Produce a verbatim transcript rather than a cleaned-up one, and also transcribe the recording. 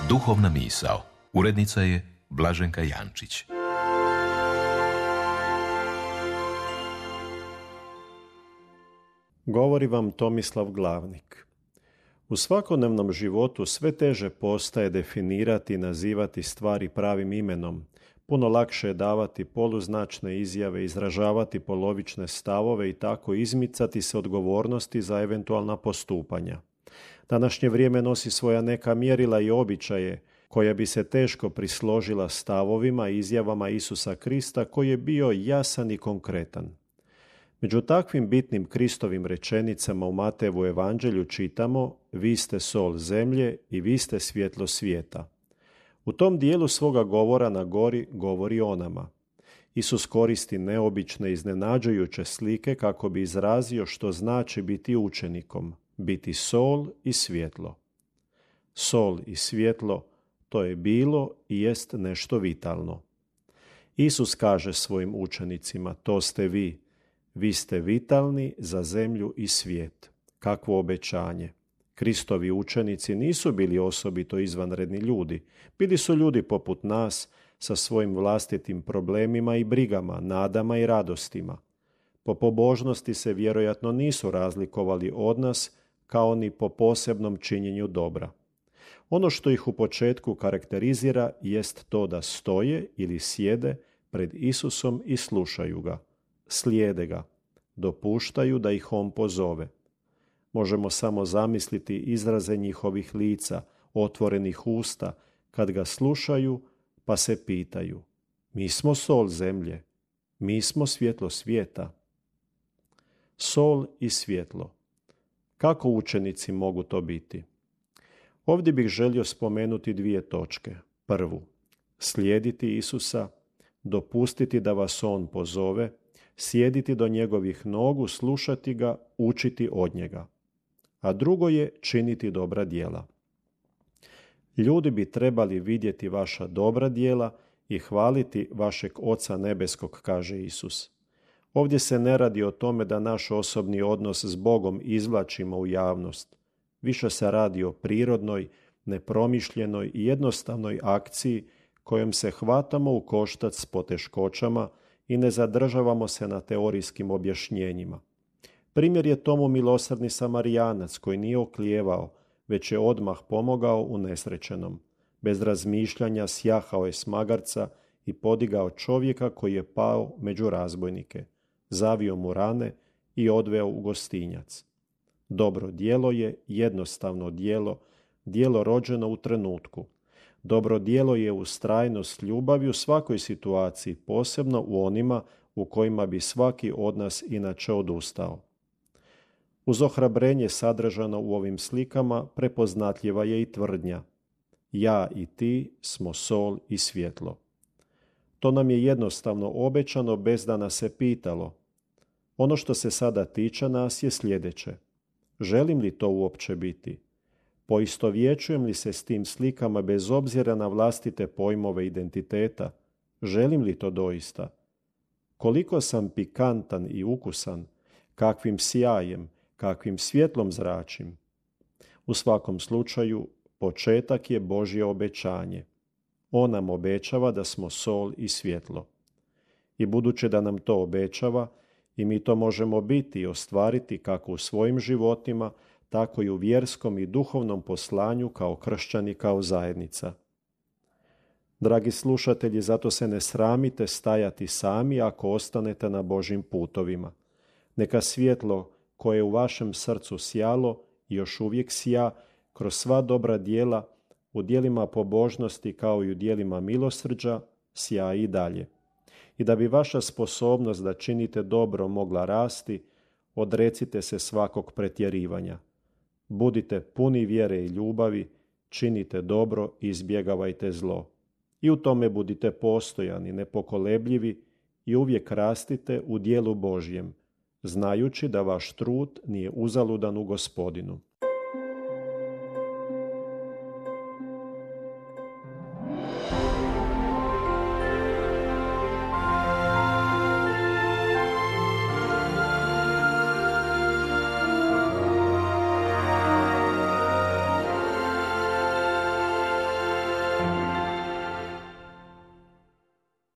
Duhovna misao. Urednica je Blaženka Jančić. Govori vam Tomislav Glavnik. U svakodnevnom životu sve teže postaje definirati i nazivati stvari pravim imenom. Puno lakše je davati poluznačne izjave, izražavati polovične stavove i tako izmicati se odgovornosti za eventualna postupanja. Današnje vrijeme nosi svoja neka mjerila i običaje koja bi se teško prisložila stavovima i izjavama Isusa Krista koji je bio jasan i konkretan. Među takvim bitnim Kristovim rečenicama u Matejevu evanđelju čitamo: vi ste sol zemlje i vi ste svjetlo svijeta. U tom dijelu svoga govora na gori govori o nama. Isus koristi neobične, iznenađujuće slike kako bi izrazio što znači biti učenikom, biti sol i svjetlo. Sol i svjetlo, to je bilo i jest nešto vitalno. Isus kaže svojim učenicima: to ste vi. Vi ste vitalni za zemlju i svijet. Kakvo obećanje! Kristovi učenici nisu bili osobito izvanredni ljudi. Bili su ljudi poput nas sa svojim vlastitim problemima i brigama, nadama i radostima. Po pobožnosti se vjerojatno nisu razlikovali od nas kao ni po posebnom činjenju dobra. Ono što ih u početku karakterizira jest to da stoje ili sjede pred Isusom i slušaju ga. Slijede ga, dopuštaju da ih on pozove. Možemo samo zamisliti izraze njihovih lica, otvorenih usta, kad ga slušaju pa se pitaju: mi smo sol zemlje, mi smo svjetlo svijeta. Sol i svjetlo. Kako učenici mogu to biti? Ovdje bih želio spomenuti dvije točke. Prvu, slijediti Isusa, dopustiti da vas on pozove, sjediti do njegovih nogu, slušati ga, učiti od njega. A drugo je činiti dobra djela. Ljudi bi trebali vidjeti vaša dobra djela i hvaliti vašeg Oca nebeskog, kaže Isus. Ovdje se ne radi o tome da naš osobni odnos s Bogom izvlačimo u javnost. Više se radi o prirodnoj, nepromišljenoj i jednostavnoj akciji kojom se hvatamo u koštac s poteškoćama i ne zadržavamo se na teorijskim objašnjenjima. Primjer je tomu milosrdni Samarijanac koji nije oklijevao, već je odmah pomogao unesrećenom. Bez razmišljanja sjahao je s magarca i podigao čovjeka koji je pao među razbojnike, zavio mu rane i odveo u gostinjac. Dobro djelo je jednostavno djelo, djelo rođeno u trenutku. Dobro djelo je ustrajnost ljubavi u svakoj situaciji, posebno u onima u kojima bi svaki od nas inače odustao. Uz ohrabrenje sadržano u ovim slikama prepoznatljiva je i tvrdnja: ja i ti smo sol i svjetlo. To nam je jednostavno obećano bez da nas se pitalo. Ono što se sada tiče nas je sljedeće: želim li to uopće biti? Poistovjećujem li se s tim slikama bez obzira na vlastite pojmove identiteta? Želim li to doista? Koliko sam pikantan i ukusan, kakvim sjajem, kakvim svjetlom zračim? U svakom slučaju, početak je Božje obećanje. On nam obećava da smo sol i svjetlo. I budući da nam to obećava, i mi to možemo biti i ostvariti kako u svojim životima, tako i u vjerskom i duhovnom poslanju kao kršćani, kao zajednica. Dragi slušatelji, zato se ne sramite stajati sami ako ostanete na Božjim putovima. Neka svjetlo koje je u vašem srcu sjalo i još uvijek sja kroz sva dobra djela, u djelima pobožnosti kao i u djelima milosrđa, sja i dalje. I da bi vaša sposobnost da činite dobro mogla rasti, odrecite se svakog pretjerivanja. Budite puni vjere i ljubavi, činite dobro i izbjegavajte zlo. I u tome budite postojani, nepokolebljivi i uvijek rastite u djelu Božjem, znajući da vaš trud nije uzaludan u Gospodinu.